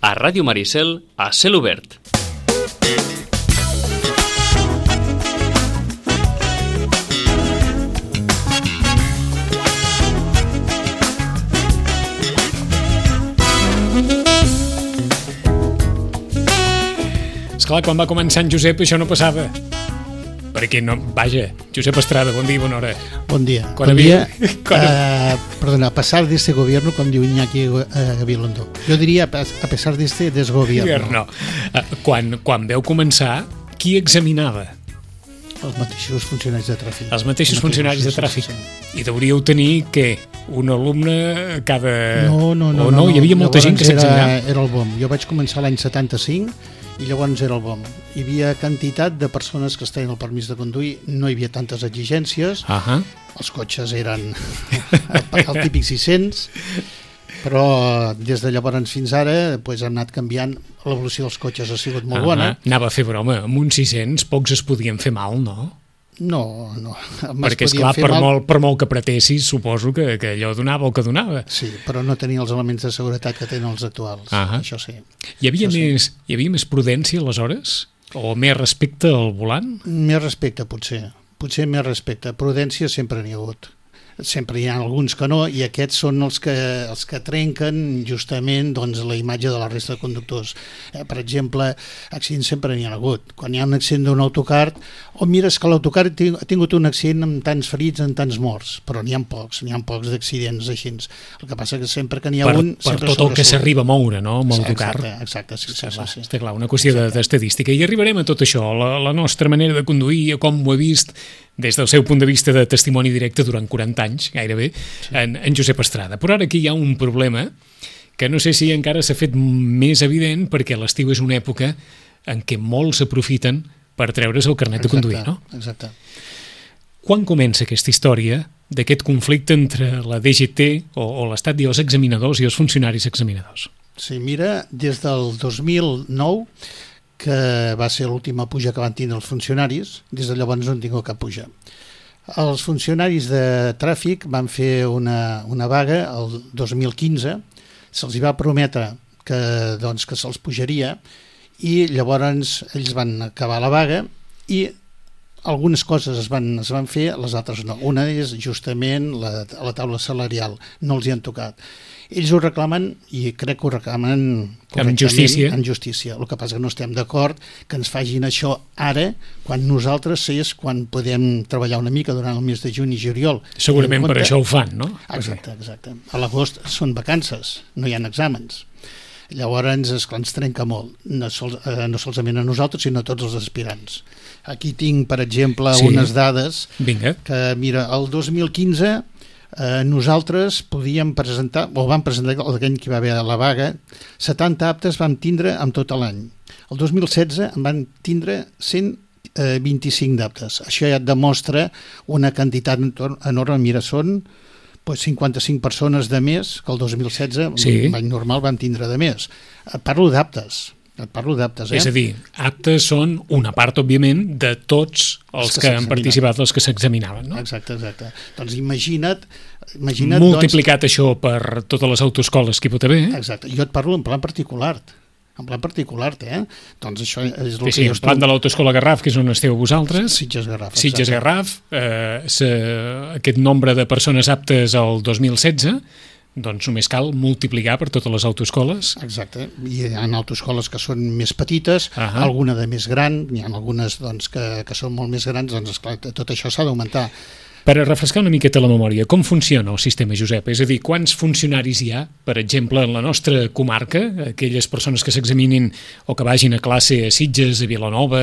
a Ràdio Maricel, a Cel Obert. Esclar, quan va començar en Josep això no passava. Perquè no... Vaja, Josep Estrada, bon dia i bona hora. Bon dia. Perdona, a pesar de este gobierno, com diu Iñaki Gabilondo. Jo diria a pesar de este desgobierno. Quan veu començar, qui examinava? Els mateixos funcionaris de tràfic. Els mateixos funcionaris de tràfic. I deuríeu tenir, què? Un alumne cada... No. Hi havia molta gent que s'examinava. Era el BOM. Jo vaig començar l'any 75 i llavors era el BOM. Hi havia quantitat de persones que estaven el permís de conduir, no hi havia tantes exigències, els cotxes eren el típic 600, però des de llavors fins ara doncs, hem anat canviant, l'evolució dels cotxes ha sigut molt bona. Anava a fer broma, amb uns 600 pocs es podien fer mal, no? No. Perquè, esclar, per molt que apretessis, suposo que allò donava el que donava. Sí, però no tenia els elements de seguretat que tenen els actuals, això sí. Hi havia més prudència aleshores? O més respecte al volant? Més respecte, potser més respecte. Prudència sempre n'hi ha hagut. Sempre hi ha alguns que no, i aquests són els que trenquen justament doncs, la imatge de la resta de conductors. Per exemple, accidents sempre n'hi ha hagut. Quan hi ha un accident d'un autocar, mires que l'autocar ha tingut un accident amb tants ferits, amb tants morts, però n'hi ha pocs d'accidents així. El que passa que sempre que n'hi ha un... Per tot el que s'arriba a moure, no?, amb l'autocar. Exacte, sí. Està clar, una qüestió d'estadística. I arribarem a tot això, la nostra manera de conduir, com ho he vist des del seu punt de vista de testimoni directe durant 40 anys, gairebé, en Josep Estrada. Però ara aquí hi ha un problema que no sé si encara s'ha fet més evident, perquè l'estiu és una època en què molts s'aprofiten per treure's el carnet de conduir, no? Exacte. Quan comença aquesta història d'aquest conflicte entre la DGT o l'Estat i els examinadors i els funcionaris examinadors? Sí, mira, des del 2009, que va ser l'última puja que van tindre els funcionaris, des de llavors no han tingut cap puja. Els funcionaris de tràfic van fer una vaga el 2015, se'ls va prometre que se'ls pujaria, i llavors ells van acabar la vaga i algunes coses es van fer, les altres no. Una és justament la taula salarial, no els hi han tocat. Ells ho reclamen, i crec que ho reclamen correctament, en justícia. El que passa que no estem d'acord que ens facin això ara, quan nosaltres és quan podem treballar una mica durant el mes de juny i juliol. Segurament per això ho fan, no? Exacte. A l'agost són vacances, no hi ha exàmens. Llavors ens trenca molt, no solament a nosaltres, sinó a tots els aspirants. Aquí tinc, per exemple, unes dades. Vinga. Que, mira, el 2015 nosaltres podíem presentar, o vam presentar l'any que va haver la vaga, 70 aptes vam tindre amb tot l'any. El 2016 en van tindre 125 d'aptes. Això ja et demostra una quantitat enorme. Mira, són 55 persones de més que el 2016, l'any normal vam tindre de més. Et parlo d'aptes. És a dir, aptes són una part, òbviament, de tots els que han participat, els que s'examinaven, no? Exacte. Doncs imagina't multiplicat això per totes les autoescoles que hi pot haver. Exacte. Jo et parlo en plan particular. Doncs això és el que jo estic... plan de l'autoescola Garraf, que és on esteu vosaltres. Sitges Garraf. Aquest nombre de persones aptes al 2016... doncs només cal multiplicar per totes les autoescoles. Exacte, hi ha autoescoles que són més petites, alguna de més gran, hi ha algunes que són molt més grans, doncs esclar, tot això s'ha d'augmentar. Per a refrescar una miqueta la memòria, com funciona el sistema, Josep? És a dir, quants funcionaris hi ha, per exemple, en la nostra comarca, aquelles persones que s'examinin o que vagin a classe a Sitges, a Vilanova,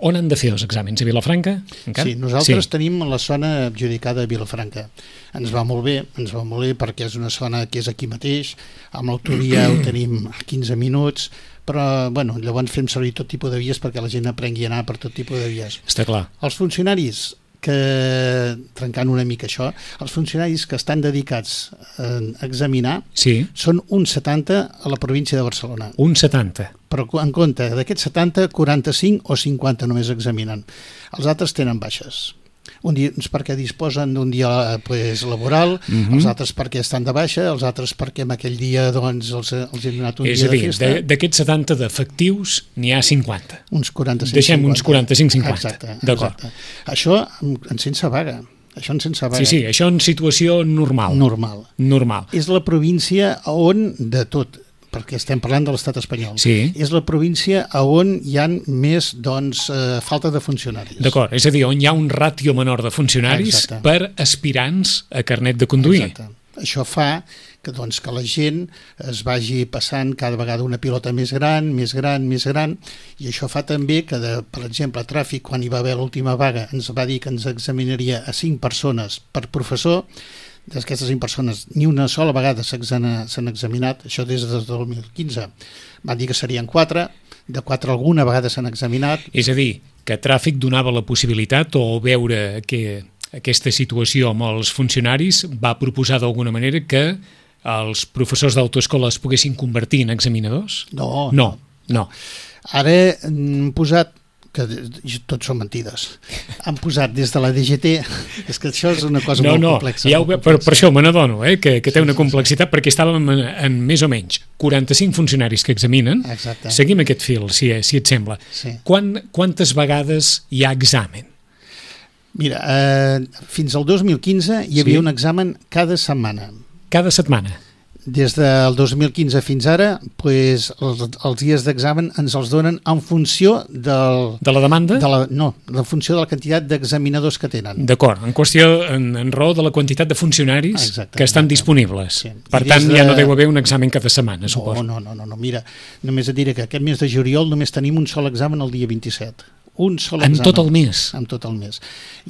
on han de fer els exàmens? A Vilafranca? Encara? Sí, nosaltres tenim la zona adjudicada a Vilafranca. Ens va molt bé perquè és una zona que és aquí mateix, amb l'autovia ho tenim a 15 minuts, però llavors fem servir tot tipus de vies perquè la gent aprengui a anar per tot tipus de vies. Està clar. Els funcionaris trencant una mica això, els funcionaris que estan dedicats a examinar són un 70 a la província de Barcelona. Un 70? Però en compte d'aquests 70, 45 o 50 només examinen. Els altres tenen baixes. Uns perquè disposen d'un dia laboral, els altres perquè estan de baixa, els altres perquè en aquell dia doncs, els hem donat un dia de festa. És a dir, d'aquests 70 d'efectius n'hi ha 50. Uns 45-50. Deixem uns 45-50. Exacte. D'acord. Això en sense vaga. Sí, això en situació normal. Normal. És la província on de tot, perquè estem parlant de l'estat espanyol, és la província on hi ha més falta de funcionaris. D'acord, és a dir, on hi ha un ràtio menor de funcionaris per aspirants a carnet de conduir. Exacte. Això fa que la gent es vagi passant cada vegada una pilota més gran, i això fa també que, per exemple, a Tràfic, quan hi va haver l'última vaga, ens va dir que ens examinaria a 5 persones per professor. D'aquestes 5 persones ni una sola vegada s'han examinat, això des del 2015. Van dir que serien 4, de 4 alguna vegada s'han examinat. És a dir, que Tràfic donava la possibilitat, o veure que aquesta situació amb els funcionaris va proposar d'alguna manera que els professors d'autoescola es poguessin convertir en examinadors? No. Ara han posat, que tots són mentides, han posat des de la DGT, és que això és una cosa molt complexa. Per això me n'adono, que té una complexitat, perquè estàvem en més o menys 45 funcionaris que examinen. Exacte. Seguim aquest fil, si et sembla. Sí. Quantes vegades hi ha examen? Mira, fins al 2015 hi havia un examen cada setmana. Cada setmana? Des del 2015 fins ara, els dies d'examen ens els donen en funció de la demanda? En funció de la quantitat d'examinadors que tenen. D'acord, en qüestió, en raó de la quantitat de funcionaris que estan disponibles. Sí. Per tant, ja no deu haver un examen cada setmana, suposo. No, mira, només et diré que aquest mes de juliol només tenim un sol examen el dia 27. Un sol examen. En tot el mes? En tot el mes.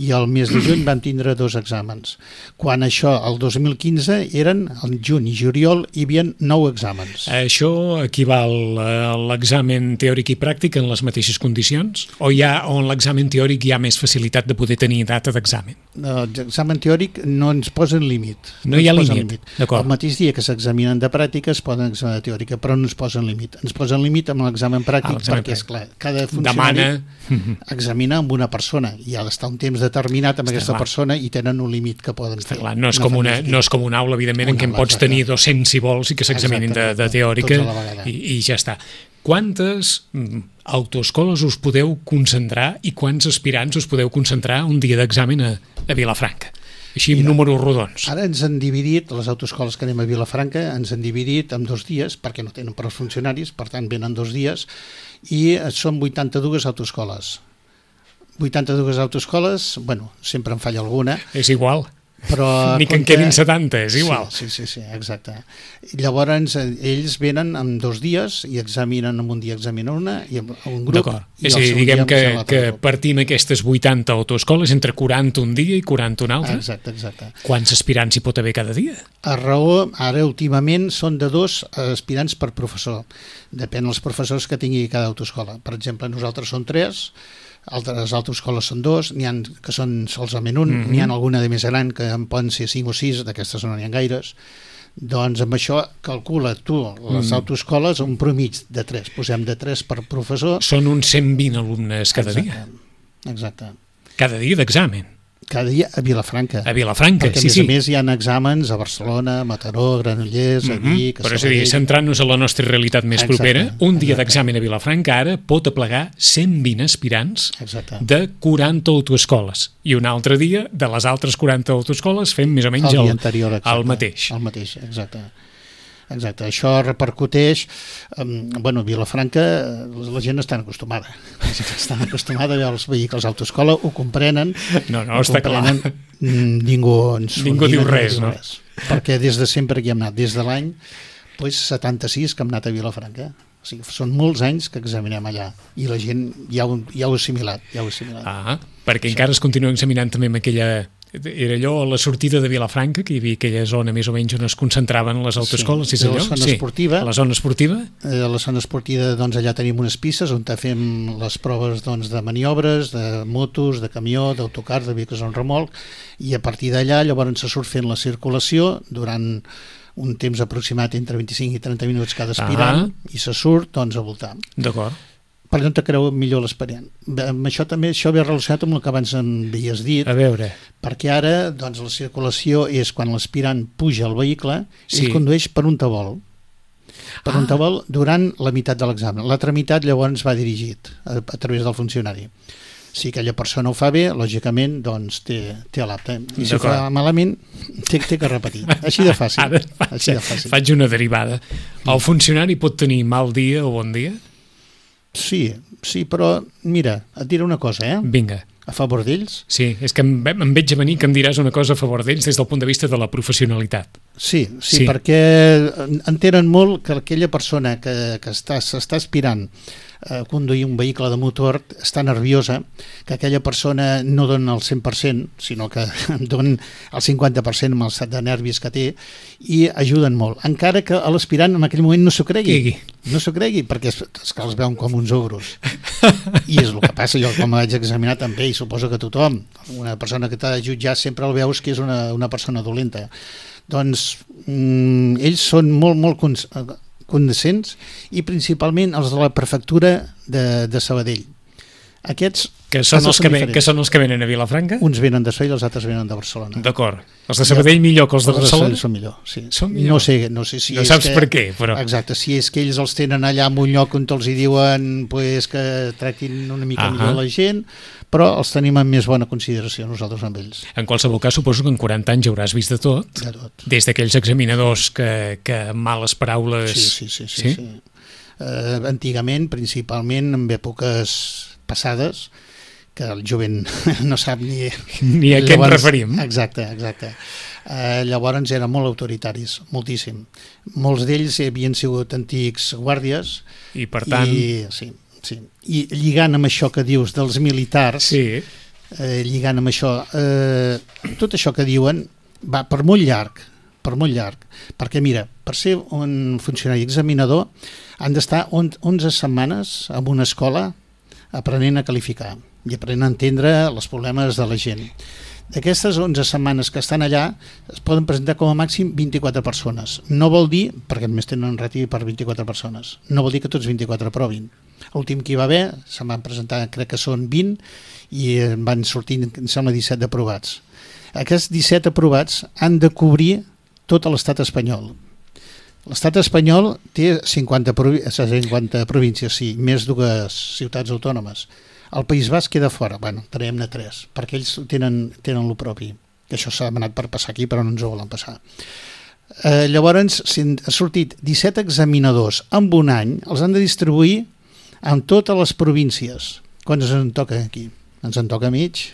I el mes de juny vam tindre 2 exàmens. Quan això, el 2015, eren, en juny i juliol, hi havia 9 exàmens. Això equival a l'examen teòric i pràctic en les mateixes condicions? O en l'examen teòric hi ha més facilitat de poder tenir data d'examen? L'examen teòric no ens posen límit. No hi ha límit? El mateix dia que s'examinen de pràctica es poden examinar de teòrica, però no ens posen límit. Ens posen límit amb l'examen pràctic perquè, esclar, cada funcionari examina amb una persona i ha d'estar un temps determinat amb aquesta persona i tenen un límit que poden fer. No és com una aula, evidentment, en què en pots tenir 200 si vols i que s'examinin de teòrica i ja està. Quantes autoescoles us podeu concentrar i quants aspirants us podeu concentrar un dia d'examen a Vilafranca? Així amb números rodons. Ara ens han dividit, les autoescoles que anem a Vilafranca, ens han dividit en 2 dies, perquè no tenen per als funcionaris, per tant venen 2 dies, i són 82 autoescoles. 82 autoescoles, sempre en falla alguna. És igual. Però ni que en quedin 70, és igual. Sí, exacte. Llavors ells venen en 2 dies i examinen, en un dia examinen una i en un grup. D'acord. És a dir, diguem que partim aquestes 80 autoescoles entre 40 un dia i 40 un altre. Exacte. Quants aspirants hi pot haver cada dia? A raó, ara últimament són de 2 aspirants per professor. Depèn dels professors que tingui cada autoescola. Per exemple, nosaltres som 3, altres autoescoles són 2, n'hi ha que són solament un, n'hi ha alguna de més gran que en poden ser 5 o 6, d'aquestes no n'hi ha gaires. Doncs amb això calcula tu les autoescoles un promig de 3, posem de 3 per professor. Són uns 120 alumnes cada dia. Exacte. Cada dia d'examen. Cada dia a Vilafranca. A Vilafranca, perquè, a més hi ha exàmens a Barcelona, a Mataró, a Granollers, a Vic, a Però és a dir, centrant-nos en la nostra realitat més propera, un dia d'examen a Vilafranca ara pot aplegar 120 aspirants de 40 autoescoles. I un altre dia, de les altres 40 autoescoles, fem més o menys el mateix. El mateix, exacte. Això repercuteix a Vilafranca, la gent està acostumada a veure els vehicles d'autoescola, ho comprenen. No, està clar. Ningú diu res, no? Perquè des de sempre que hi hem anat, des de l'any 76 que hem anat a Vilafranca. O sigui, són molts anys que examinem allà i la gent ja ho ha assimilat. Perquè encara es continua examinant també amb aquella... Era allò a la sortida de Vilafranca, que hi havia aquella zona més o menys on es concentraven les autoescoles, és allò? La zona esportiva. La zona esportiva? A la zona esportiva, allà tenim unes pistes on fem les proves de maniobres, de motos, de camió, d'autocar, de vehicles en remolc, i a partir d'allà llavors se surt fent la circulació durant un temps aproximat entre 25 i 30 minuts cada aspirant i se surt a voltar. D'acord. per allò on te creu millor l'expedient. Amb això també, això ve relacionat amb el que abans em havies dit, A veure, perquè ara doncs, la circulació és quan l'aspirant puja al vehicle, Sí. ell condueix per un tabol. Per un tabol durant la meitat de l'examen. L'altra meitat llavors va dirigit a través del funcionari. Si aquella persona ho fa bé, lògicament, doncs té l'apte. I si ho fa malament, té que repetir. Així de fàcil. ara Així de fàcil. faig una derivada. El funcionari pot tenir mal dia o bon dia? Sí, però mira, et diré una cosa, Vinga. a favor d'ells. Sí, és que em veig a venir que em diràs una cosa a favor d'ells des del punt de vista de la professionalitat. Sí, Sí. perquè entenen molt que aquella persona que s'està aspirant a conduir un vehicle de motor està nerviosa, que aquella persona no dona el 100%, sinó que dona el 50% amb l'estat de nervis que té, i ajuden molt. Encara que l'aspirant en aquell moment no s'ho cregui. No s'ho cregui, perquè és que els veuen com uns ogros. I és el que passa. Jo, com vaig examinar també, i suposo que tothom, una persona que t'ha de jutjar sempre el veus que és una persona dolenta. Doncs ells són molt condescents, i principalment els de la prefectura de Sabadell. Aquests Que són els que diferents. venen a Vilafranca? Uns venen de Sabadell, els altres venen de Barcelona. D'acord. Els de Sabadell millor que els de Barcelona? Són millor, sí. Són millor. No sé si No és saps que, per què, però... Exacte, si és que ells els tenen allà en un lloc on els hi diuen pues, que tractin una mica millor la gent, però els tenim en més bona consideració nosaltres amb ells. En qualsevol cas, suposo que en 40 anys hauràs vist de tot. De tot. Des d'aquells examinadors que amb males paraules... Sí. Antigament, principalment en èpoques passades, que el jovent no sap ni a què ens referim. Exacte. Llavors eren molt autoritaris, moltíssim. Molts d'ells havien sigut antics guàrdies I per tant... Sí. I lligant amb això que dius dels militars, lligant amb això, tot això que diuen va per molt llarg, perquè mira, per ser un funcionari examinador han d'estar 11 setmanes en una escola aprenent a qualificar i aprenent a entendre els problemes de la gent. D'aquestes 11 setmanes que estan allà es poden presentar com a màxim 24 persones. No vol dir, perquè només tenen ràtio per 24 persones, no vol dir que tots 24 aprovin. L'últim que hi va haver, se'n van presentar, crec que són 20, i van sortir, em sembla, 17 aprovats. Aquests 17 aprovats han de cobrir tot l'estat espanyol. L'estat espanyol té 50 províncies, sí, més dues ciutats autònomes. El País Basc queda fora, traiem-ne 3, perquè ells tenen el propi, que això s'ha demanat per passar aquí, però no ens ho volen passar. Llavors, si han sortit 17 examinadors en un any, els han de distribuir en totes les províncies. Quants ens en toca aquí? Ens en toca mig.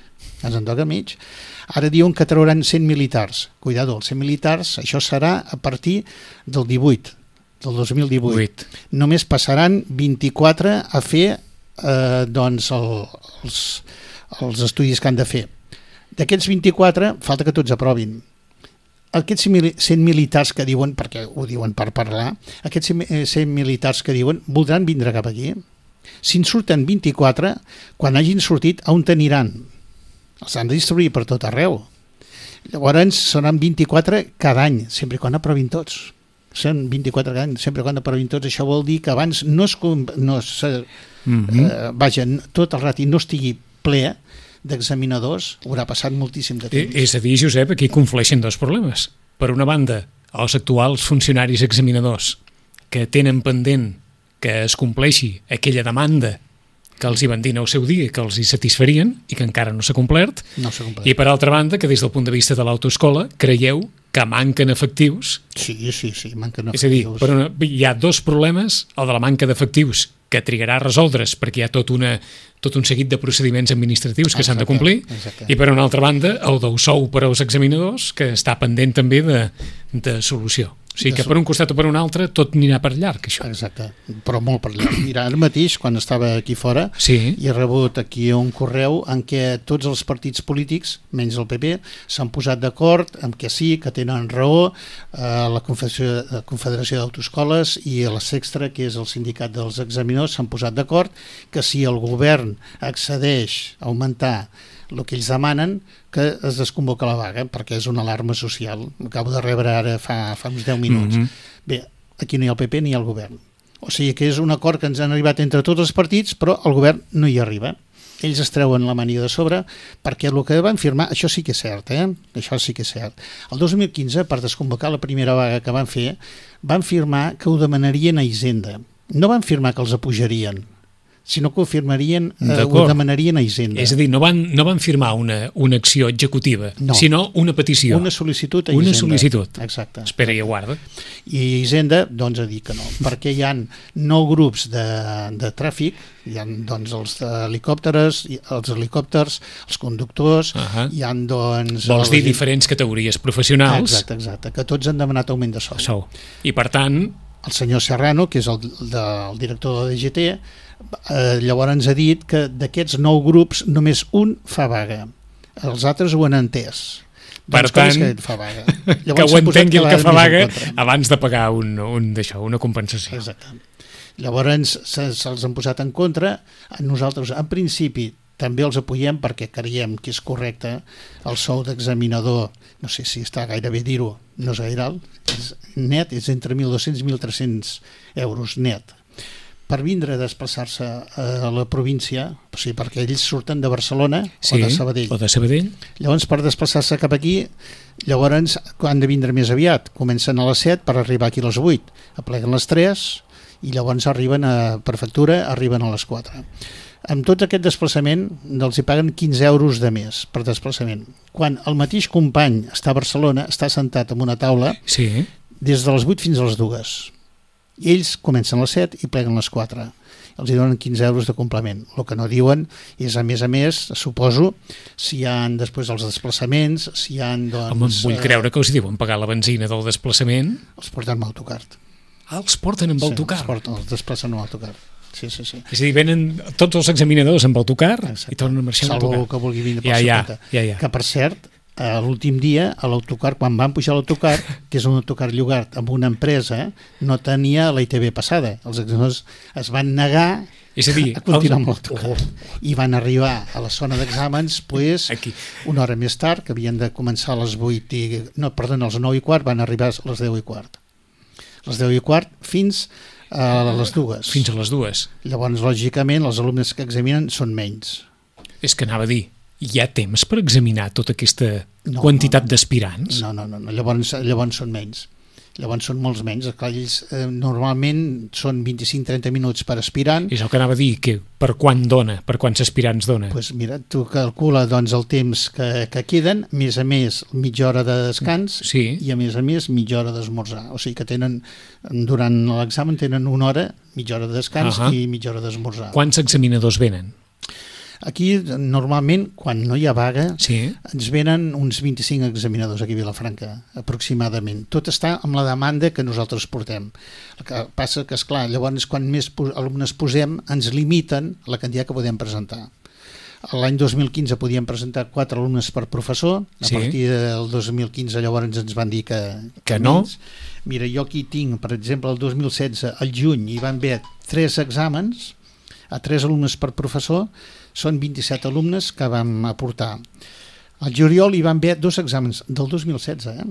Ara diuen que trauran 100 militars. Cuidado, els 100 militars, això serà a partir del 2018. Només passaran 24 a fer els estudis que han de fer. D'aquests 24, falta que tots aprovin. Aquests 100 militars que diuen, perquè ho diuen per parlar, aquests 100 militars que diuen voldran vindre cap aquí. Si en surten 24, quan hagin sortit, on aniran? Els han de distribuir per tot arreu. Llavors seran 24 cada any, sempre i quan aprovin tots. Són 24 cada any, sempre i quan aprovin tots. Això vol dir que abans tot el rati no estigui ple d'examinadors, haurà passat moltíssim de temps. És a dir, Josep, aquí conflueixen dos problemes. Per una banda, els actuals funcionaris examinadors que tenen pendent que es compleixi aquella demanda que els hi van dir en el seu dia que els hi satisfarien i que encara no s'ha complert. I per altra banda, que des del punt de vista de l'autoescola creieu que manquen efectius. Sí, manquen efectius. És a dir, hi ha dos problemes, el de la manca d'efectius, que trigarà a resoldre's perquè hi ha tot un seguit de procediments administratius que s'han de complir, i per una altra banda el del sou per als examinadors, que està pendent també de solució. O sigui que per un costat o per un altre tot anirà per llarg, això. Exacte, però molt per llarg. Mira, ara mateix, quan estava aquí fora, he rebut aquí un correu en què tots els partits polítics, menys el PP, s'han posat d'acord amb que sí, que tenen raó, la Confederació d'Autoescoles i la Sextra, que és el sindicat dels examinadors, s'han posat d'acord que si el govern accedeix a augmentar el que ells demanen, que es desconvoca la vaga, perquè és una alarma social. Acabo de rebre ara fa uns 10 minuts. Bé, aquí no hi ha el PP ni hi ha el govern. O sigui que és un acord que ens han arribat entre tots els partits, però el govern no hi arriba. Ells es treuen la mania de sobre perquè el que van firmar, això sí que és cert, això sí que és cert. El 2015, per desconvocar la primera vaga que van fer, van firmar que ho demanarien a Hisenda. No van firmar que els apujarien, sinó que ho firmarien, ho demanarien a Hisenda. És a dir, no van firmar una acció executiva, sinó una petició. Una sol·licitud a Hisenda. Una sol·licitud. Exacte. Espera i aguarda. I Hisenda, doncs, ha dit que no, perquè hi ha 9 grups de tràfic, hi ha, doncs, els helicòpters, els conductors, hi ha, doncs... Vols dir diferents categories professionals? Exacte, que tots han demanat augment de sou. I, per tant... El senyor Serrano, que és el director de la DGT, llavors ens ha dit que d'aquests 9 grups només un fa vaga. Els altres ho han entès. Per tant, que ho entengui el que fa vaga abans de pagar una compensació. Exacte. Llavors se'ls han posat en contra. Nosaltres, en principi, també els apoyem perquè creiem que és correcte. El sou d'examinador, no sé si està gaire bé dir-ho, no és gaire alt, és net, és entre 1.200 i 1.300 euros net. Per vindre a desplaçar-se a la província, o sigui, perquè ells surten de Barcelona o de Sabadell. Llavors, per desplaçar-se cap aquí, llavors han de vindre més aviat. Comencen a les 7 per arribar aquí a les 8. Apleguen les 3 i llavors arriben a prefectura, arriben a les 4. Amb tot aquest desplaçament els hi paguen 15 euros de més per desplaçament. Quan el mateix company està a Barcelona, està sentat en una taula des de les 8 fins a les 2. I ells comencen a les 7 i pleguen a les 4. Els hi donen 15 euros de complement. El que no diuen és, a més, suposo, si hi ha després els desplaçaments, si hi ha... Doncs, home, vull creure que els diuen pagar la benzina del desplaçament. Els porten amb autocar. Els porten amb autocar? Sí, els desplacen amb autocar. Sí. És a dir, venen tots els examinadors amb autocar i tornen a marxar amb autocar. Salvo que vulgui vindre per la compte. Que, per cert, l'últim dia, a l'autocar, quan van pujar a l'autocar, que és un autocar llogat amb una empresa, no tenia la ITV passada. Els examinadors es van negar a continuar amb l'autocar. I van arribar a la zona d'exàmens una hora més tard, que havien de començar a les 8 a les 9 i quart, van arribar a les 10 i quart. A les 10 i quart fins a les 2. Fins a les 2. Llavors, lògicament, els alumnes que examinen són menys. És que anava a dir, hi ha temps per examinar tota aquesta quantitat d'aspirants? No. Llavors són menys. Llavors són molts menys. Clar, ells normalment són 25-30 minuts per aspirant. És el que anava a dir, que per quan dona, per quants aspirants dona? Doncs mira, tu calcula el temps que queden, més a més mitja hora de descans i a més mitja hora d'esmorzar. O sigui que durant l'examen tenen una hora, mitja hora de descans i mitja hora d'esmorzar. Quants examinadors venen? Aquí, normalment, quan no hi ha vaga, ens venen uns 25 examinadors aquí a Vilafranca, aproximadament. Tot està amb la demanda que nosaltres portem. El que passa que, esclar, llavors, quan més alumnes posem, ens limiten la quantitat que podem presentar. L'any 2015 podíem presentar 4 alumnes per professor, a partir del 2015 llavors ens van dir que no. Mira, jo aquí tinc, per exemple, el 2016, al juny, hi van haver 3 exàmens, a 3 alumnes per professor, són 27 alumnes que vam aportar. Al juliol hi van haver 2 exàmens, del 2016,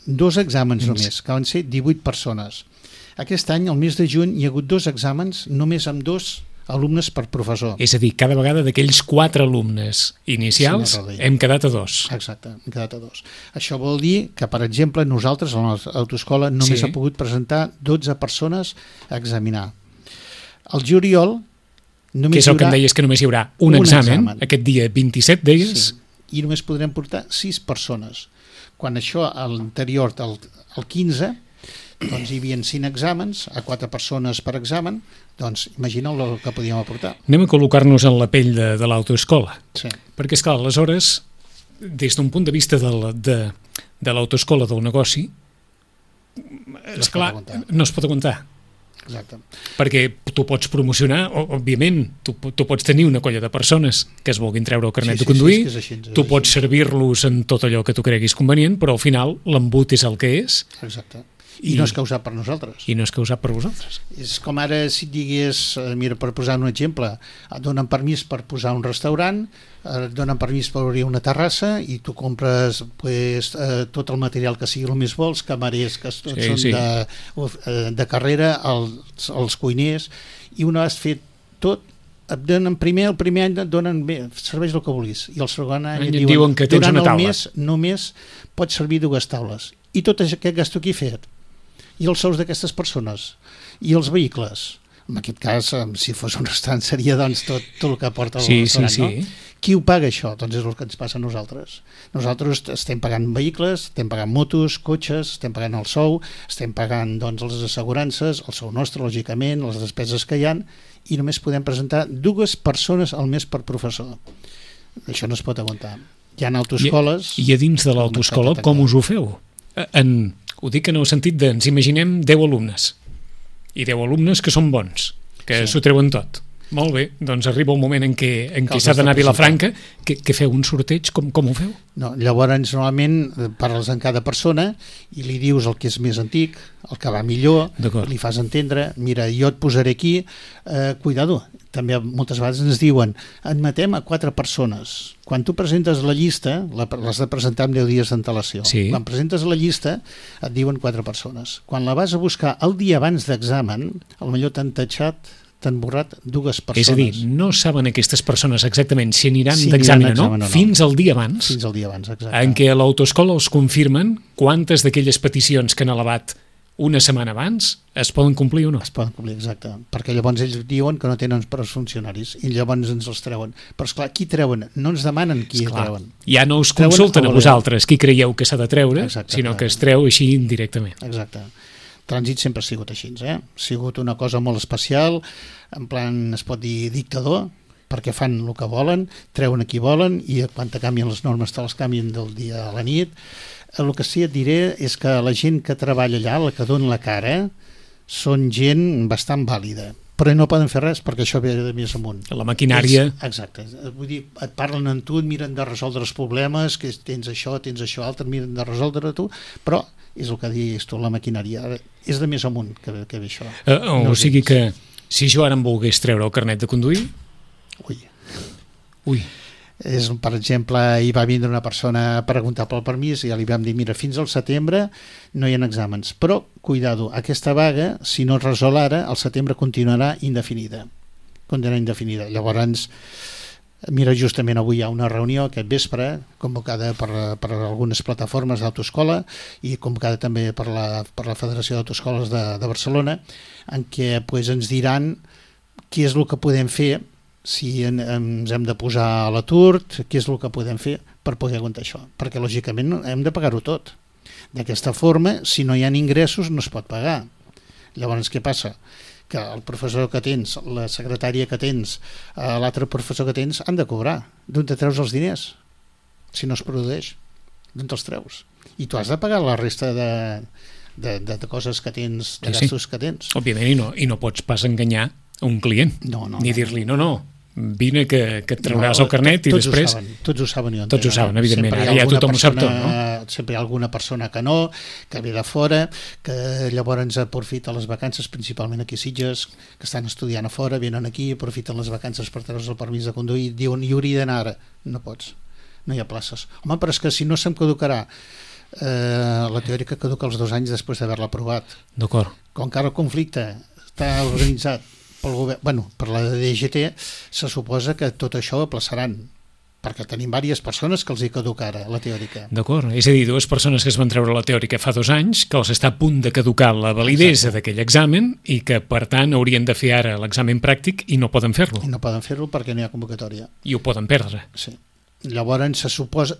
2 exàmens només, que van ser 18 persones. Aquest any, al mes de juny, hi ha hagut 2 exàmens només amb 2 alumnes per professor. És a dir, cada vegada d'aquells 4 alumnes inicials hem quedat a 2. Exacte, hem quedat a 2. Això vol dir que, per exemple, nosaltres a l'autoescola només ha pogut presentar 12 persones a examinar. Al juliol que és el que em deies, que només hi haurà un examen, aquest dia 27 deies. I només podrem portar 6 persones. Quan això, a l'anterior, el 15, doncs hi havia 5 exàmens, a 4 persones per examen, doncs imagineu el que podíem aportar. Anem a col·locar-nos en la pell de l'autoescola. Perquè, esclar, aleshores, des d'un punt de vista de l'autoescola del negoci, esclar, no es pot aguantar. Exacte. Perquè tu pots promocionar, òbviament, tu pots tenir una colla de persones que es vulguin treure el carnet de conduir, tu pots servir-los en tot allò que tu creguis convenient, però al final l'embut és el que és. Exacte. I no és causat per nosaltres. I no és causat per vosaltres. És com ara si et digués, mira, per posar un exemple, et donen permís per posar un restaurant, et donen permís per obrir una terrassa i tu compres tot el material que sigui el més vols, camarers que tots són de carrera, els cuiners, i una vegada fet tot, et donen el primer any et donen bé, serveix el que vulguis, i el segon any et diuen que tens una taula. Durant el mes només pots servir 2 taules, i tot aquest gasto que he fet, i els sous d'aquestes persones, i els vehicles. En aquest cas, si fos un restaurant seria doncs tot el que porta el restaurant, no? Qui ho paga això? Doncs és el que ens passa a nosaltres. Nosaltres estem pagant vehicles, estem pagant motos, cotxes, estem pagant el sou, estem pagant doncs les assegurances, el sou nostre, lògicament, les despeses que hi ha, i només podem presentar 2 persones al mes per professor. Això no es pot aguantar. Hi ha autoescoles... I a dins de l'autoescola com us ho feu? Ho dic en el sentit de ens imaginem 10 alumnes, i 10 alumnes que són bons, que s'ho treuen tot. Molt bé, doncs arriba un moment en què s'ha d'anar a Vilafranca, que feu un sorteig, com ho feu? No, llavors normalment parles amb cada persona i li dius el que és més antic, el que va millor, li fas entendre, mira, jo et posaré aquí, cuidado, també moltes vegades ens diuen, admetem a 4 persones. Quan tu presentes la llista, l'has de presentar amb 10 dies d'antelació. Sí. Quan presentes la llista, et diuen 4 persones. Quan la vas a buscar el dia abans d'examen, potser t'han tatxat, t'han borrat 2 persones. És a dir, no saben aquestes persones exactament si aniran d'examen o no, fins al dia abans. Fins al dia abans, exacte. En què a l'autoescola els confirmen quantes d'aquelles peticions que han elevat una setmana abans es poden complir o no. Es poden complir, exacte. Perquè llavors ells diuen que no tenen per als funcionaris i llavors ens els treuen. Però esclar, qui treuen? No ens demanen qui treuen. Ja no us consulten a vosaltres qui creieu que s'ha de treure, sinó que es treu així indirectament. Exacte. Trànsit sempre ha sigut així, Ha sigut una cosa molt especial, en plan, es pot dir dictador, perquè fan el que volen, treuen a qui volen, i quan te canvien les normes te les canvien del dia a la nit. El que sí et diré és que la gent que treballa allà, la que dona la cara, són gent bastant vàlida, però no poden fer res perquè això ve de més amunt. La maquinària... Exacte. Vull dir, et parlen amb tu, et miren de resoldre els problemes, que tens això altre, et miren de resoldre tu, però és el que dius tu, la maquinària és de més amunt que ve això. O sigui que si jo ara em volgués treure el carnet de conduir... Ui. Per exemple, hi va vindre una persona a preguntar pel permís i ja li vam dir, mira, fins al setembre no hi ha exàmens, però, cuidado, aquesta vaga, si no es resol ara, al setembre continuarà indefinida. Llavors, mira, justament avui hi ha una reunió aquest vespre, convocada per algunes plataformes d'autoescola i convocada també per la Federació d'Autoescoles de Barcelona, en què ens diran què és el que podem fer, si ens hem de posar a l'atur, què és el que podem fer per poder aguantar això, perquè lògicament hem de pagar-ho tot. D'aquesta forma, si no hi ha ingressos no es pot pagar. Llavors què passa? Que el professor que tens, la secretària que tens, l'altre professor que tens han de cobrar. D'on te treus els diners? Si no es produeix, d'on te'ls treus? I tu has de pagar la resta de coses que tens, de gastos que tens. Òbviament, i no pots pas enganyar un client, ni dir-li no, vine que et trauràs el carnet i després... Tots ho saben. Tots ho saben, evidentment. Ara ja tothom ho sap tot, no? Sempre hi ha alguna persona que no, que ve de fora, que llavors aprofita les vacances, principalment aquí a Sitges, que estan estudiant a fora, venen aquí, aprofiten les vacances per treure's el permís de conduir, diuen, hi hauria d'anar ara. No pots, no hi ha places. Home, però és que si no se'm caducarà, la teòrica caduca els 2 anys després d'haver-la aprovat. D'acord. Com que ara el conflicte està organitzat pel govern, per la DGT, se suposa que tot això ho aplaçaran, perquè tenim diverses persones que els hi caduca ara la teòrica. D'acord, és a dir, 2 persones que es van treure la teòrica fa 2 anys, que els està a punt de caducar la validesa d'aquell examen i que, per tant, haurien de fer ara l'examen pràctic i no poden fer-lo. I no poden fer-lo perquè no hi ha convocatòria. I ho poden perdre. Sí. Llavors se suposa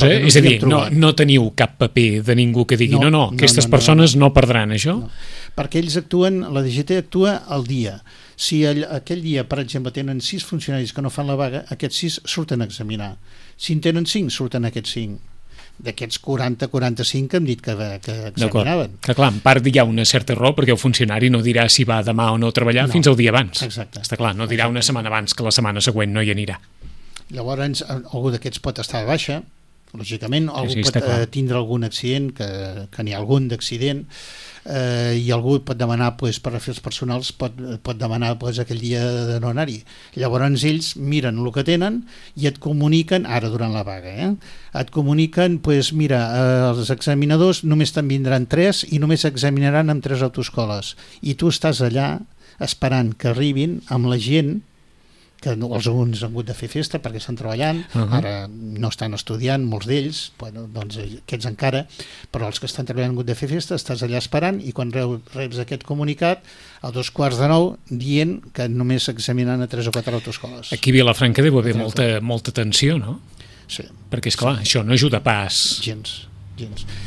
és a dir, no teniu cap paper de ningú que digui aquestes persones no perdran això? No. Perquè ells actuen, la DGT actua al dia. Si aquell dia, per exemple, tenen 6 funcionaris que no fan la vaga, aquests 6 surten a examinar. Si en tenen 5, surten aquests 5. D'aquests 40-45 que hem dit que examinaven. Que clar, en part hi ha una certa raó perquè el funcionari no dirà si va demà o no a treballar fins al dia abans. Exacte. Està clar, no dirà una setmana abans que la setmana següent no hi anirà. Llavors algú d'aquests pot estar de baixa, lògicament. Algú Sí, pot tindre algun accident, que n'hi ha algun d'accident, i algú pot demanar, per afers personals, pot demanar aquell dia de no anar-hi. Llavors ells miren el que tenen i et comuniquen, ara durant la vaga, et comuniquen, mira, els examinadors només te'n vindran 3 i només examinaran amb 3 autoescoles. I tu estàs allà esperant que arribin amb la gent que alguns han hagut de fer festa perquè estan treballant, ara no estan estudiant, molts d'ells, doncs aquests encara, però els que estan treballant han hagut de fer festa, estàs allà esperant i quan reps aquest comunicat a 8:45 dient que només examinaran a 3 o 4 autoescoles. Aquí a Vilafranca deu haver molta tensió, no? Sí. Perquè, esclar, això no ajuda pas. Gens.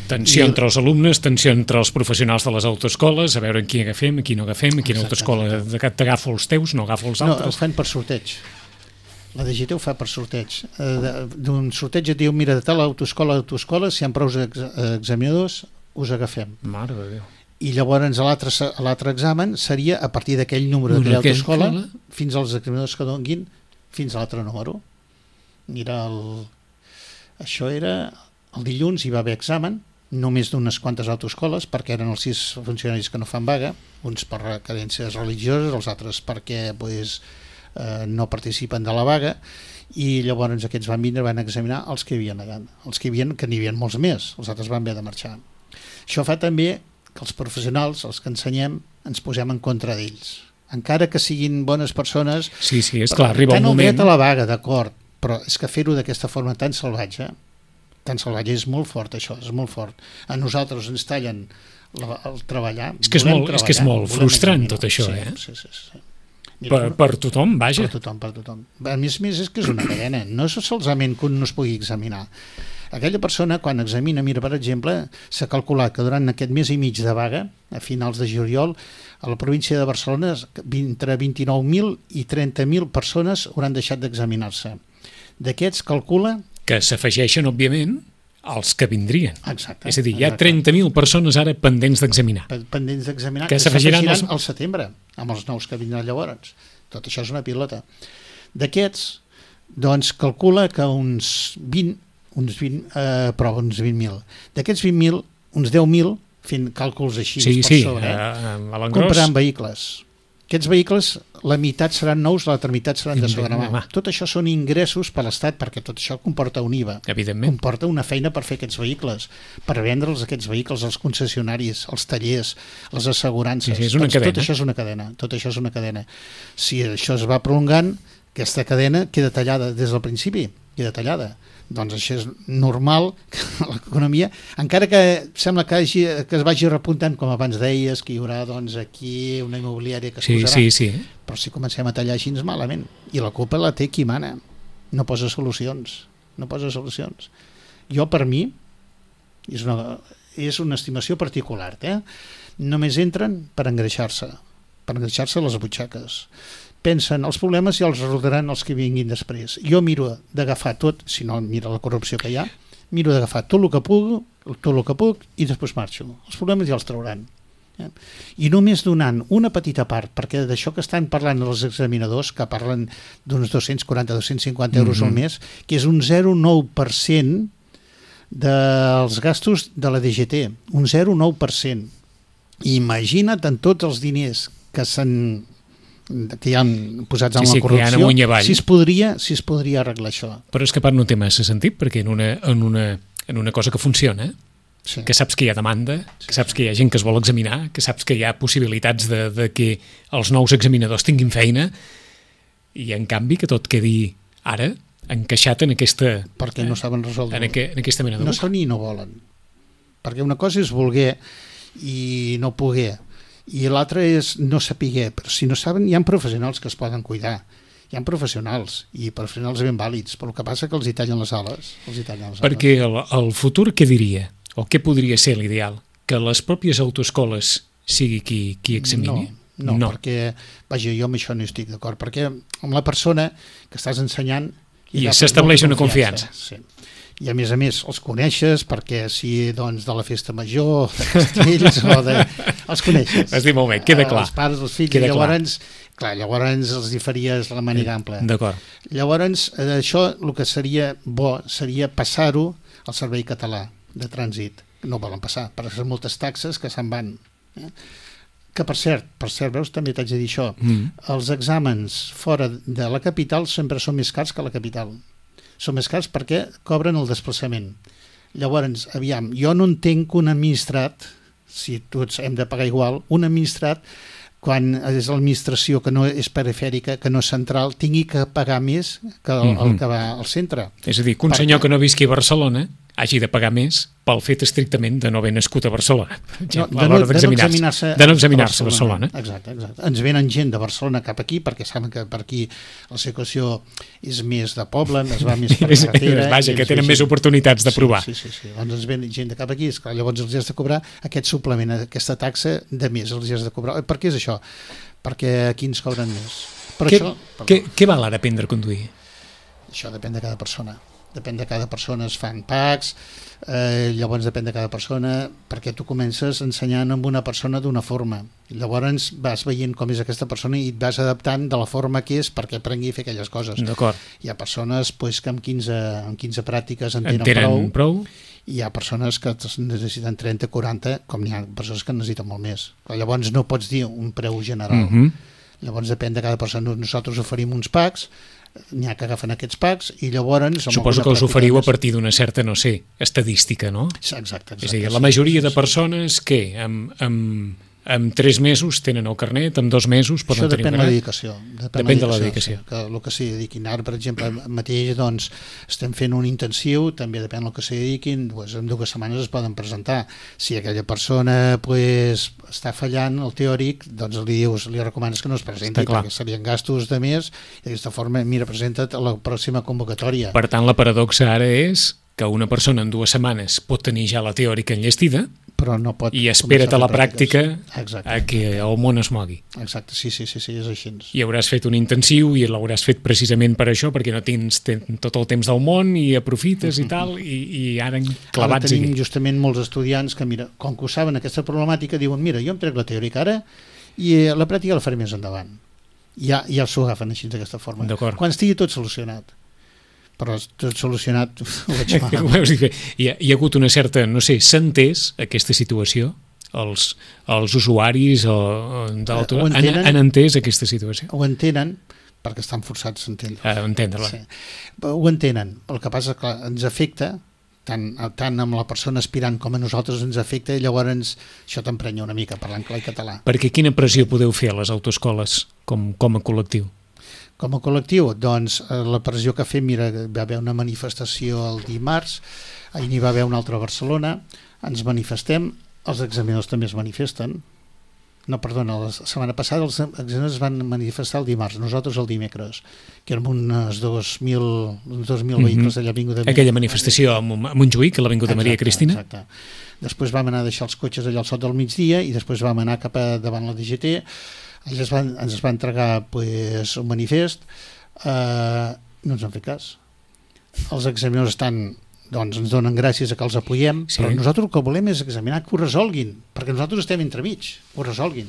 Tensió entre els alumnes, tensió entre els professionals de les autoescoles, a veure en qui agafem, a qui no agafem, a quina autoescola t'agafo els teus, no agafo els altres. No, ho fan per sorteig. La DGT ho fa per sorteig. D'un sorteig et diu, mira, de tal autoescola, si hi ha prou examinadors, us agafem. Mare de Déu. I llavors l'altre examen seria a partir d'aquell número de l'autoescola fins als examinadors que donguin fins a l'altre número. Mira, això era... El dilluns hi va haver examen, només d'unes quantes autoescoles, perquè eren els 6 funcionaris que no fan vaga, uns per cadències religioses, els altres perquè no participen de la vaga, i llavors aquests van vindre, van examinar els que hi havia allà, que n'hi havia molts més, els altres van haver de marxar. Això fa també que els professionals, els que ensenyem, ens posem en contra d'ells. Encara que siguin bones persones... Sí, és clar, arriba un moment... Tant el dret a la vaga, d'acord, però és que fer-ho d'aquesta forma tan salvatge és molt fort, això, és molt fort. A nosaltres ens tallen el treballar. És que és molt frustrant tot això, Sí. Per tothom, vaja. Per tothom. A més, és que és una cadena. No és solament que un no es pugui examinar. Aquella persona, quan examina, mira, per exemple, s'ha calculat que durant aquest mes i mig de vaga, a finals de juliol, a la província de Barcelona, entre 29.000 i 30.000 persones hauran deixat d'examinar-se. D'aquests calcula que s'afegeixen, òbviament, els que vindrien. Exacte. És a dir, hi ha 30.000 persones ara pendents d'examinar. Pendents d'examinar, que s'afegiran al setembre, amb els nous que vindran llavors. Tot això és una pilota. D'aquests, doncs, calcula que uns 20.000. D'aquests 20.000, uns 10.000, fent càlculs així per sobre, compraran vehicles. Aquests vehicles, la meitat seran nous, l'altra meitat seran de segona mà. Tot això són ingressos per l'Estat, perquè tot això comporta un IVA. Evidentment. Comporta una feina per fer aquests vehicles, per vendre'ls aquests vehicles als concessionaris, als tallers, les assegurances. Sí, és una cadena. Tot això és una cadena. Si això es va prolongant, aquesta cadena queda tallada des del principi, doncs això és normal que l'economia, encara que sembla que es vagi repuntant, com abans deies, que hi haurà doncs, aquí una immobiliària que es posarà, sí. Però si comencem a tallar així malament, i la culpa la té qui mana, no posa solucions. Jo, per mi, és una estimació particular, només entren per engreixar-se les butxaques. Pensen els problemes i els resoldran els que vinguin després. Jo miro d'agafar tot, si no mira la corrupció que hi ha, miro d'agafar tot el que puc i després marxo. Els problemes ja els trauran. I només donant una petita part, perquè d'això que estan parlant els examinadors, que parlen d'uns 240-250 euros al mes, que és un 0,9% dels gastos de la DGT, un 0,9%. Imagina't en tots els diners que hi han posats en la corrupció, si es podria arreglar això. Però és que a part no té massa sentit, perquè en una cosa que funciona, que saps que hi ha demanda, que saps que hi ha gent que es vol examinar, que saps que hi ha possibilitats de que els nous examinadors tinguin feina, i en canvi que tot quedi ara encaixat en aquesta... Perquè no saben resoldre. En aquesta mena de... No saben i no volen. Perquè una cosa és voler i no poder, i l'altre és no saber, però si no saben hi ha professionals que es poden cuidar, hi ha professionals i professionals ben vàlids, però el que passa que els hi tallen les ales. Perquè el futur què diria? O què podria ser l'ideal? Que les pròpies autoescoles sigui qui examini? No, perquè vaja, jo amb això no estic d'acord, perquè amb la persona que estàs ensenyant i s'estableix una confiança. Sí. I a més els coneixes, perquè si doncs de la festa major, de castells o de... els coneixes. Has dit molt bé, queda clar. Els pares, els fills, llavors els hi faries la màniga ampla. D'acord. Llavors això el que seria bo seria passar-ho el Servei Català de Trànsit, no volen passar, per les moltes taxes que se'n van. Que per cert, veus, també t'haig de dir això, els exàmens fora de la capital sempre són més cars que la capital. Són més cars perquè cobren el desplaçament. Llavors, aviam, jo no entenc que un administrat, si tots hem de pagar igual, un administrat, quan és l'administració que no és perifèrica, que no és central, tingui que pagar més que el que va al centre. És a dir, que un senyor que no visqui a Barcelona hagi de pagar més pel fet estrictament de no haver nascut a Barcelona, per exemple, a l'hora d'examinar-se a Barcelona. Exacte. Ens venen gent de Barcelona cap aquí perquè saben que per aquí la situació és més de poble, es va més per carretera. Vaja, que tenen més oportunitats de provar. Sí. Doncs ens ven gent de cap aquí, esclar, llavors els has de cobrar aquest suplement, aquesta taxa de més, els has de cobrar. Per què és això? Perquè aquí ens cobren més. Què val ara aprendre a conduir? Això depèn de cada persona. Depèn de cada persona, es fan PACs, llavors depèn de cada persona, perquè tu comences ensenyant amb una persona d'una forma, llavors vas veient com és aquesta persona i et vas adaptant de la forma que és perquè aprengui a fer aquelles coses. D'acord. Hi ha persones que amb 15 pràctiques en tenen prou, i hi ha persones que necessiten 30, 40, com n'hi ha persones que necessiten molt més. Llavors no pots dir un preu general. Llavors depèn de cada persona. Nosaltres oferim uns PACs, n'hi ha que agafen aquests PACs i llavors... Suposo que us oferiu a partir d'una certa, no sé, estadística, no? Exacte. És a dir, la majoria de persones que amb 3 mesos tenen el carnet, amb 2 mesos poden tenir un carnet. Això depèn de la dedicació. Depèn de la dedicació. Que el que s'hi dediquin. Ara, per exemple, mateix doncs, estem fent un intensiu, també depèn del que s'hi dediquin, doncs, en 2 setmanes es poden presentar. Si aquella persona està fallant el teòric, doncs li recomanes que no es presenti, perquè serien gastos de més, i d'aquesta forma, mira, presenta't a la pròxima convocatòria. Per tant, la paradoxa ara és que una persona en 2 setmanes pot tenir ja la teòrica enllestida, però no pot i espera't a la pràctica a que el món es mogui. Exacte, sí, és així. I hauràs fet un intensiu i l'hauràs fet precisament per això, perquè no tens tot el temps del món i aprofites i tal, i ara clavats aquí. Ara tenim justament molts estudiants que, mira, com que ho saben aquesta problemàtica, diuen, mira, jo em trec la teòrica ara i la pràctica la faré més endavant. Ja s'ho agafen així d'aquesta forma. Quan estigui tot solucionat. Però tot solucionat ho veig mal. Hi ha hagut una certa, no sé, s'ha entès aquesta situació? Els usuaris han entès aquesta situació? Ho entenen, perquè estan forçats a entendre-la. Sí. Ho entenen. El que passa és que ens afecta, tant amb la persona aspirant com a nosaltres ens afecta, i llavors això t'emprenya una mica parlant clar i català. Perquè quina pressió podeu fer a les autoescoles com a col·lectiu? Com a col·lectiu, doncs, la pressió que fem, mira, va haver una manifestació el dimarts, ahir n'hi va haver una altra a Barcelona, ens manifestem, els examinadors també es manifesten, la setmana passada els examinadors es van manifestar el dimarts, nosaltres el dimecres, que érem uns 2.000 vehicles allà a l'Avinguda de aquella manifestació a Montjuïc, a l'Avinguda de Maria Cristina. Exacte. Després vam anar a deixar els cotxes allà al sot del migdia i després vam anar cap a davant la DGT. Ens va entregar un manifest, no ens han fet cas. Els examinadors ens donen gràcies a que els apoyem, però nosaltres el que volem és examinar que ho resolguin, perquè nosaltres estem entremig, ho resolguin.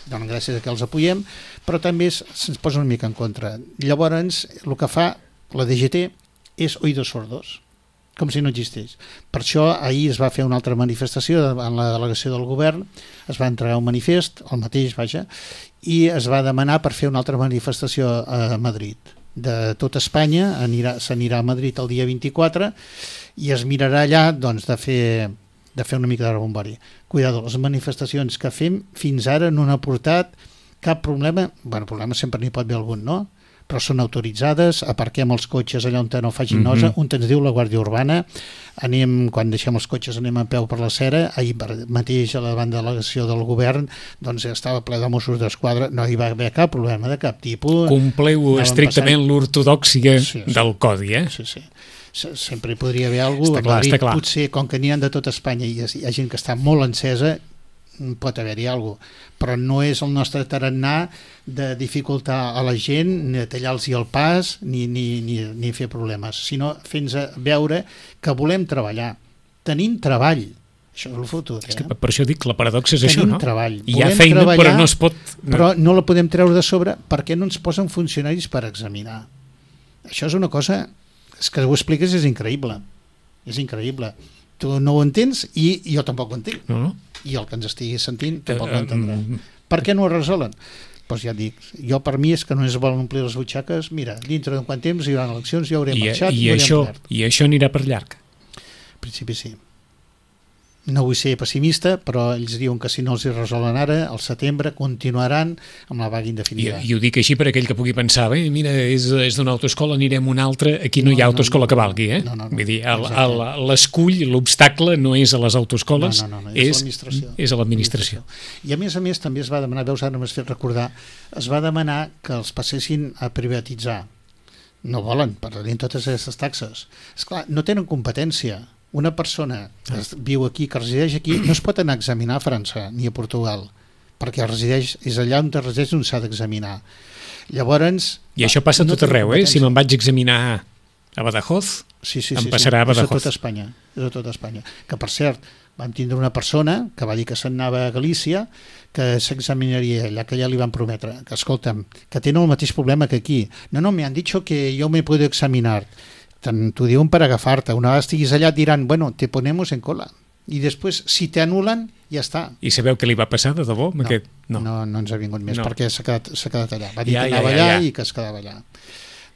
Donen gràcies a que els apoyem, però també se'ns posa una mica en contra. Llavors, el que fa la DGT és oïdos sordos, com si no existeix. Per això ahir es va fer una altra manifestació en la delegació del govern, es va entregar un manifest, el mateix, i es va demanar per fer una altra manifestació a Madrid. De tot Espanya s'anirà a Madrid el dia 24 i es mirarà allà doncs, de fer una mica de rebombori. Cuidado, les manifestacions que fem fins ara no han aportat cap problema. Problema sempre n'hi pot haver algun, no? Però són autoritzades, aparquem els cotxes allà on no facin nosa, on ens diu la Guàrdia Urbana, quan deixem els cotxes anem a peu per la Cera, ahir mateix a la delegació del govern doncs estava ple de Mossos d'Esquadra, no hi va haver cap problema de cap tipus. Compleu estrictament l'ortodòxia del codi, eh? Sí. Sempre hi podria haver alguna cosa. Està clar. Potser, com que n'hi ha de tot Espanya i hi ha gent que està molt encesa, pot haver-hi alguna cosa, però no és el nostre tarannà de dificultar a la gent, ni de tallar-los el pas, ni fer problemes, sinó fent-nos veure que volem treballar. Tenim treball, això és el futur. És que per això dic, la paradoxa és això, no? Tenim treball. Hi ha feina, però no es pot... Però no la podem treure de sobre perquè no ens posen funcionaris per examinar. Això és una cosa, és que ho expliques, és increïble. És increïble. Tu no ho entens i jo tampoc ho entenc. No? I el que ens estigui sentint tampoc ho entendrà. Per què no ho resolen? Doncs ja et dic, jo per mi és que no es volen omplir les butxaques. Mira, dintre d'un quant temps hi haurà eleccions, ja haurem marxat i això anirà per llarg. En principi sí. No vull ser pessimista, però ells diuen que si no els hi resolen ara, al setembre continuaran amb la vaga indefinida. I ho dic així per aquell que pugui pensar, bé, mira, és d'una autoescola, anirem a una altra, aquí no hi ha autoescola que valgui, eh? No. Vull dir, l'escull, l'obstacle no és a les autoescoles, és a l'administració. I a més també es va demanar, veus, ara m'has fet recordar, es va demanar que els passessin a privatitzar. No volen, perdrien totes aquestes taxes. Esclar, no tenen competència. Una persona que viu aquí, que resideix aquí, no es pot anar a examinar a França ni a Portugal, perquè és allà on resideix on s'ha d'examinar. Llavors... I això passa tot arreu, Si me'n vaig examinar a Badajoz, em passarà a Badajoz. És a tot Espanya. Que, per cert, vam tindre una persona que va dir que se'n anava a Galícia, que s'examinaria allà, que ja li van prometre, que, escolta'm, que tenen el mateix problema que aquí. No, me han dicho que yo me puedo examinar. T'ho diuen per agafar-te. Una vegada estiguis allà et diran, bueno, te ponemos en cola. I després, si te anulen, ja està. I sabeu què li va passar, de debò? No ens ha vingut més, perquè s'ha quedat allà. Va dir que anava allà i que es quedava allà.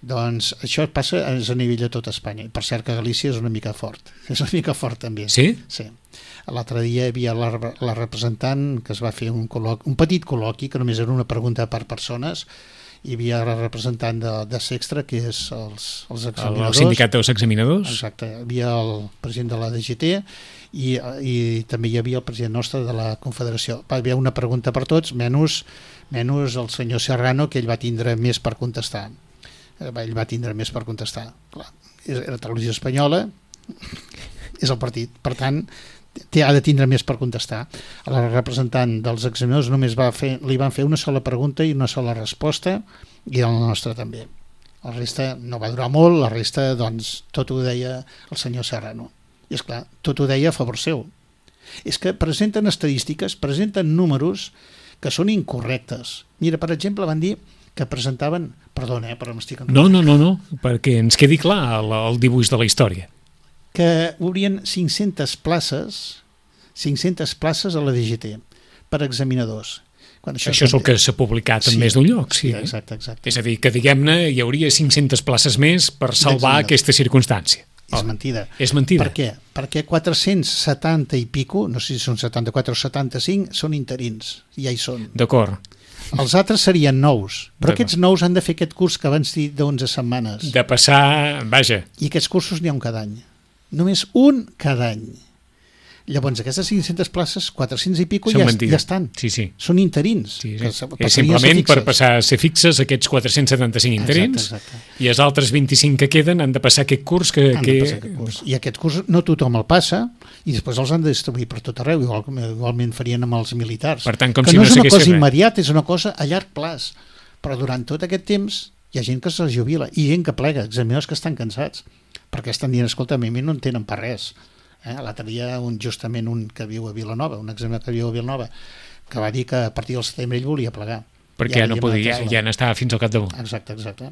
Doncs això passa a nivell de tot Espanya. Per cert que Galícia és una mica fort. És una mica fort també. Sí? Sí. L'altre dia hi havia la representant que es va fer un petit col·loqui, que només era una pregunta per persones. Hi havia la representant de Sextra, que és els examinadors. El sindicat dels examinadors. Exacte. Hi havia el president de la DGT i també hi havia el president nostre de la Confederació. Hi havia una pregunta per tots, menys el senyor Serrano, que ell va tindre més per contestar. Clar, era Televisió Espanyola, és el partit. Per tant, ha de tindre més per contestar. A la representant dels examinadors només li van fer una sola pregunta i una sola resposta, i el nostre també. La resta no va durar molt, la resta doncs tot ho deia el senyor Serrano. I esclar, tot ho deia a favor seu. És que presenten estadístiques, presenten números que són incorrectes. Mira, per exemple, van dir que presentaven... Perdona, però m'estic... No, perquè ens quedi clar el dibuix de la història. Que obrien 500 places a la DGT per examinadors. Això és el que s'ha publicat en més d'un lloc. Sí, exacte. És a dir, que diguem-ne hi hauria 500 places més per salvar aquesta circumstància. És mentida. És mentida. Per què? Perquè 470 i pico, no sé si són 74 o 75, són interins. Ja hi són. D'acord. Els altres serien nous, però aquests nous han de fer aquest curs que abans dit d'11 setmanes. De passar, vaja. I aquests cursos n'hi ha un cada any. Només un cada any. Llavors, aquestes 500 places, 400 i pico ja estan. Sí. Són interins. Sí. És simplement per passar a ser fixes aquests 475 interins. Exacte. I els altres 25 que queden han de passar aquest curs I aquest curs no tothom el passa i després els han de distribuir per tot arreu, igualment farien amb els militars. Per tant, com que si no és una cosa immediata, és una cosa a llarg plaç. Però durant tot aquest temps hi ha gent que se jubila i gent que plega, examinadors que estan cansats perquè estan dient, escolta, a mi no en tenen per res. L'altre dia justament un que viu a Vilanova, un examinador que viu a Vilanova, que va dir que a partir del setembre ell volia plegar. Perquè no podia, ja n'estava fins al capdamunt. Exacte.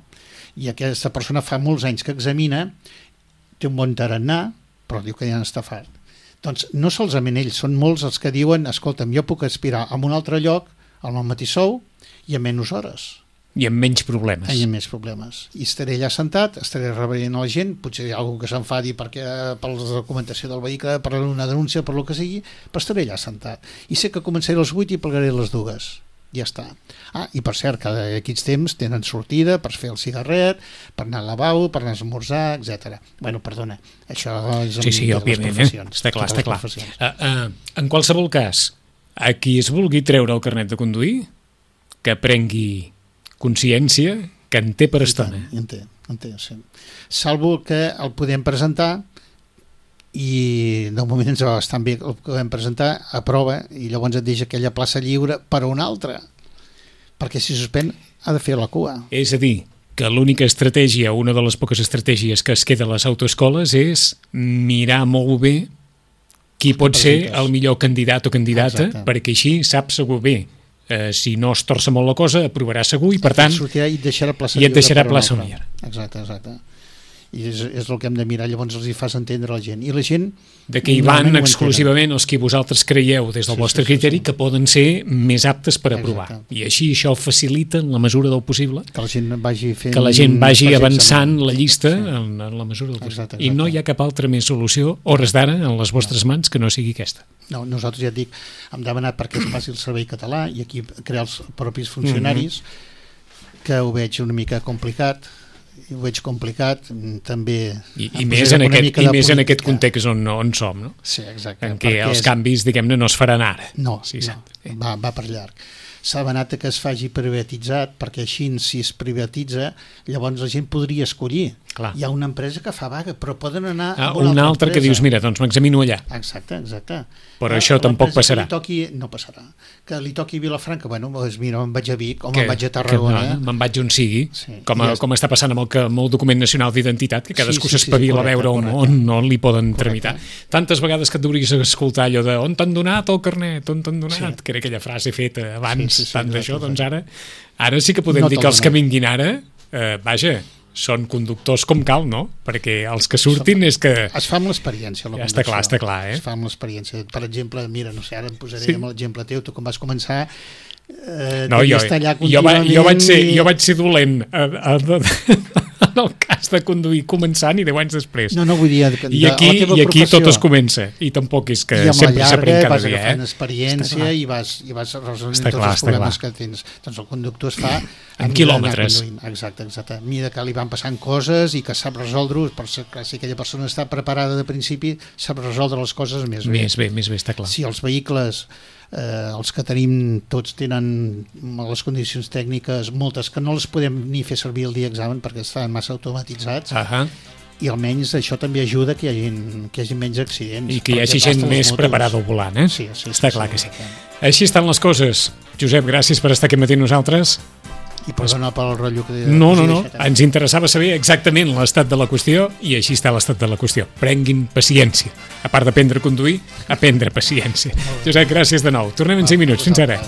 I aquesta persona fa molts anys que examina, té un bon tarannà, però diu que ja n'està fart. Doncs no solament ells, són molts els que diuen, escolta'm, jo puc aspirar a un altre lloc, al mateix sou, i a menys hores. I amb menys problemes. I amb menys problemes. I estaré allà sentat, estaré rebent a la gent, potser hi ha algú que s'enfadi per la documentació del vehicle, per una denúncia, per lo que sigui, però estaré allà sentat. I sé que començaré a les 8 i plegaré a les 2. Ja està. I per cert, cada aquests temps tenen sortida per fer el cigarret, per anar al lavabo, per anar a esmorzar, etc. Bueno, perdona, això és sí, òbviament, està clar. En qualsevol cas, a qui es vulgui treure el carnet de conduir, que prengui consciència que en té per estona. En té, sí. Salvo que el podem presentar i de moment ens va bastant bé el podem presentar a prova i llavors et deixa aquella plaça lliure per a una altra, perquè si suspèn ha de fer la cua. És a dir, que l'única estratègia, una de les poques estratègies que es queda a les autoescoles és mirar molt bé qui pot ser el millor candidat o candidata. Exacte. Perquè així sap segur bé. Si no es torça molt la cosa, aprovarà segur i per tant i et deixarà plaça lliure. Exacte. i és el que hem de mirar, llavors els hi fas entendre a la gent, i la gent de que hi van exclusivament els que vosaltres creieu des del vostre criteri que poden ser més aptes per aprovar. I així això facilita en la mesura del possible que la gent vagi fent, que la gent vagi avançant la llista en la mesura del possible. I no hi ha cap altra més solució, hores d'ara, en les vostres mans, que no sigui aquesta. No, nosaltres ja et dic, hem demanat perquè es passi el servei català i aquí crear els propis funcionaris, que ho veig una mica complicat, també... I més en aquest context on som, no? Sí, exacte. En què els canvis, diguem-ne, no es faran ara. No, va per llarg. S'ha demanat que es faci privatitzat, perquè així, si es privatitza, llavors la gent podria escollir. Clar. Hi ha una empresa que fa vaga, però poden anar a una altra que dius, mira, doncs m'examino allà. Exacte. Però això tampoc passarà. No passarà. Que li toqui Vilafranca, bueno, doncs mira, me'n vaig a Vic o me'n vaig a Tarragona. Me'n vaig on sigui, com està passant amb el document nacional d'identitat, que cadascú s'espavila a veure on li poden tramitar. Tantes vegades que et deuries escoltar allò de on t'han donat el carnet, on t'han donat, que era aquella frase feta abans, tant d'això, doncs ara sí que podem dir que els que vinguin ara, vaja, són conductors com cal, no? Perquè els que surtin és que... Es fa amb l'experiència, la conducció. Està clar, Es fa amb l'experiència. Per exemple, mira, no sé, ara em posaré amb l'exemple teu, tu com vas començar... Jo vaig ser dolent en el cas de conduir començant i 10 anys després. No, vull dir... I aquí tot es comença. I tampoc és que sempre s'aprèn cada dia. I vas agafant experiència i vas resolent tots els problemes que tens. Doncs el conductor es fa... En quilòmetres. Exacte. A mesura que li van passant coses i que sap resoldre-ho, si aquella persona està preparada de principi, sap resoldre les coses més bé. Més bé, està clar. Si els vehicles... els que tenim tots tenen les condicions tècniques, moltes que no les podem ni fer servir el dia examen perquè estan massa automatitzats, i almenys això també ajuda que hi hagi menys accidents i que hi hagi gent més preparada al volant, Sí, està clar que sí. Així estan les coses. Josep, gràcies per estar aquí matí amb nosaltres. I perdona pel rotllo que... No, ens interessava saber exactament l'estat de la qüestió i així està l'estat de la qüestió. Prenguin paciència. A part d'aprendre a conduir, aprendre paciència. Josep, gràcies de nou. Tornem en 5 minuts. Fins ara.